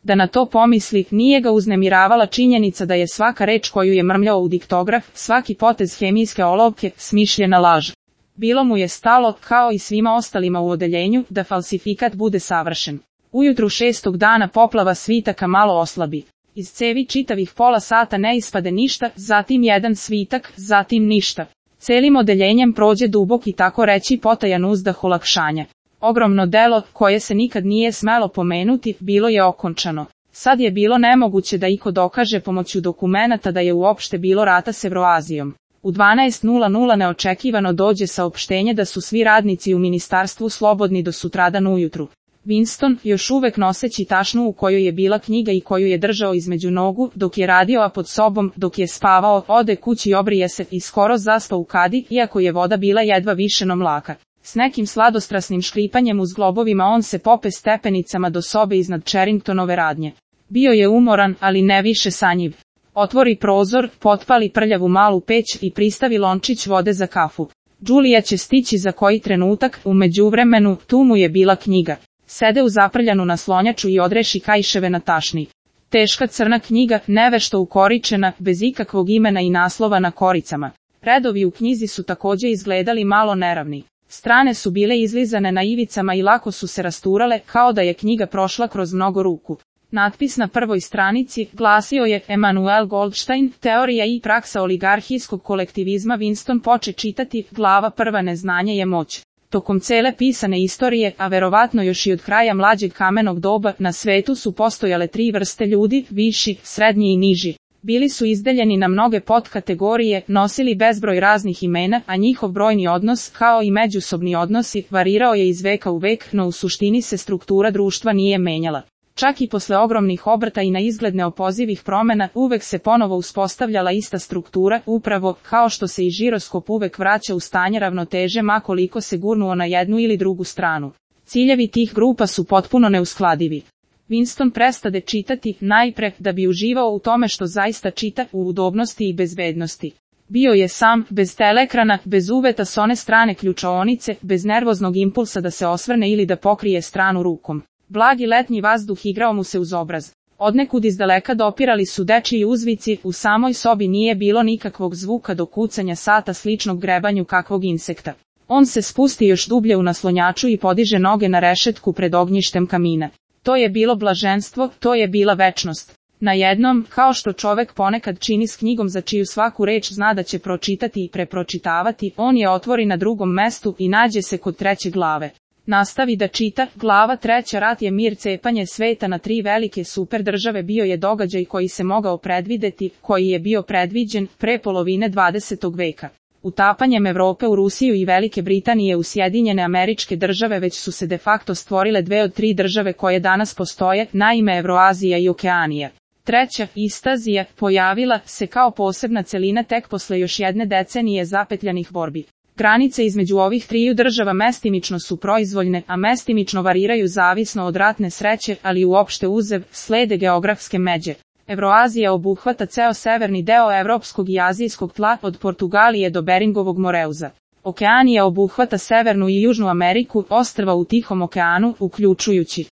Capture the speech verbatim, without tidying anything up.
Da na to pomisli, nije ga uznemiravala činjenica da je svaka reč koju je mrmljao u diktograf, svaki potez hemijske olovke, smišljena laž. Bilo mu je stalo, kao i svima ostalima u odeljenju, da falsifikat bude savršen. Ujutru šestog dana poplava svitaka malo oslabi. Iz cevi čitavih pola sata ne ispade ništa, zatim jedan svitak, zatim ništa. Celim odeljenjem prođe dubok i tako reći potajan uzdah olakšanja. Ogromno delo, koje se nikad nije smelo pomenuti, bilo je okončano. Sad je bilo nemoguće da iko dokaže pomoću dokumenata da je uopšte bilo rata s Evroazijom. U dvanaest neočekivano dođe saopštenje da su svi radnici u ministarstvu slobodni do sutradan ujutru. Winston, još uvek noseći tašnu u kojoj je bila knjiga i koju je držao između nogu, dok je radio a pod sobom, dok je spavao, ode kući, obrije se i skoro zaspa u kadi, iako je voda bila jedva višeno mlaka. S nekim sladostrasnim škripanjem u zglobovima on se pope stepenicama do sobe iznad Charringtonove radnje. Bio je umoran, ali ne više sanjiv. Otvori prozor, potpali prljavu malu peć i pristavi lončić vode za kafu. Julia će stići za koji trenutak, u međuvremenu, tu mu je bila knjiga. Sede u zaprljanu naslonjaču i odreši kaiševe na tašni. Teška crna knjiga, nevešto ukoričena, bez ikakvog imena i naslova na koricama. Redovi u knjizi su takođe izgledali malo neravni. Strane su bile izlizane na ivicama i lako su se rasturale, kao da je knjiga prošla kroz mnogo ruku. Natpis na prvoj stranici glasio je Emanuel Goldstein, teorija i praksa oligarhijskog kolektivizma. Winston poče čitati, glava prva, neznanje je moć. Tokom cele pisane istorije, a verovatno još i od kraja mlađeg kamenog doba, na svetu su postojale tri vrste ljudi, viši, srednji i niži. Bili su izdeljeni na mnoge podkategorije, nosili bezbroj raznih imena, a njihov brojni odnos, kao i međusobni odnosi, varirao je iz veka u vek, no u suštini se struktura društva nije menjala. Čak i posle ogromnih obrta i na izgled neopozivih promena, uvek se ponovo uspostavljala ista struktura, upravo, kao što se i žiroskop uvek vraća u stanje ravnoteže ma koliko se gurnuo na jednu ili drugu stranu. Ciljevi tih grupa su potpuno neuskladivi. Winston prestade čitati, najpre, da bi uživao u tome što zaista čita, u udobnosti i bezbednosti. Bio je sam, bez teleekrana, bez uveta s one strane ključaonice, bez nervoznog impulsa da se osvrne ili da pokrije stranu rukom. Blagi letnji vazduh igrao mu se uz obraz. Odnekud izdaleka dopirali su dečiji uzvici, u samoj sobi nije bilo nikakvog zvuka do kucanja sata sličnog grebanju kakvog insekta. On se spusti još dublje u naslonjaču i podiže noge na rešetku pred ognjištem kamina. To je bilo blaženstvo, to je bila večnost. Na jednom, kao što čovek ponekad čini s knjigom za čiju svaku reč zna da će pročitati i prepročitavati, on je otvori na drugom mestu i nađe se kod treće glave. Nastavi da čita, glava treća, rat je mir, cepanje sveta na tri velike super države bio je događaj koji se mogao predvideti, koji je bio predviđen, pre polovine dvadesetog veka. Utapanjem Evrope u Rusiju i Velike Britanije u Sjedinjene Američke Države već su se de facto stvorile dve od tri države koje danas postoje, naime Evroazija i Okeanija. Treća, Istazija, pojavila se kao posebna celina tek posle još jedne decenije zapetljanih borbi. Granice između ovih triju država mestimično su proizvoljne, a mestimično variraju zavisno od ratne sreće, ali uopšte uzev, slede geografske međe. Evroazija obuhvata ceo severni deo evropskog i azijskog tla, od Portugalije do Beringovog Moreuza. Okeanija obuhvata severnu i južnu Ameriku, ostrva u Tihom okeanu, uključujući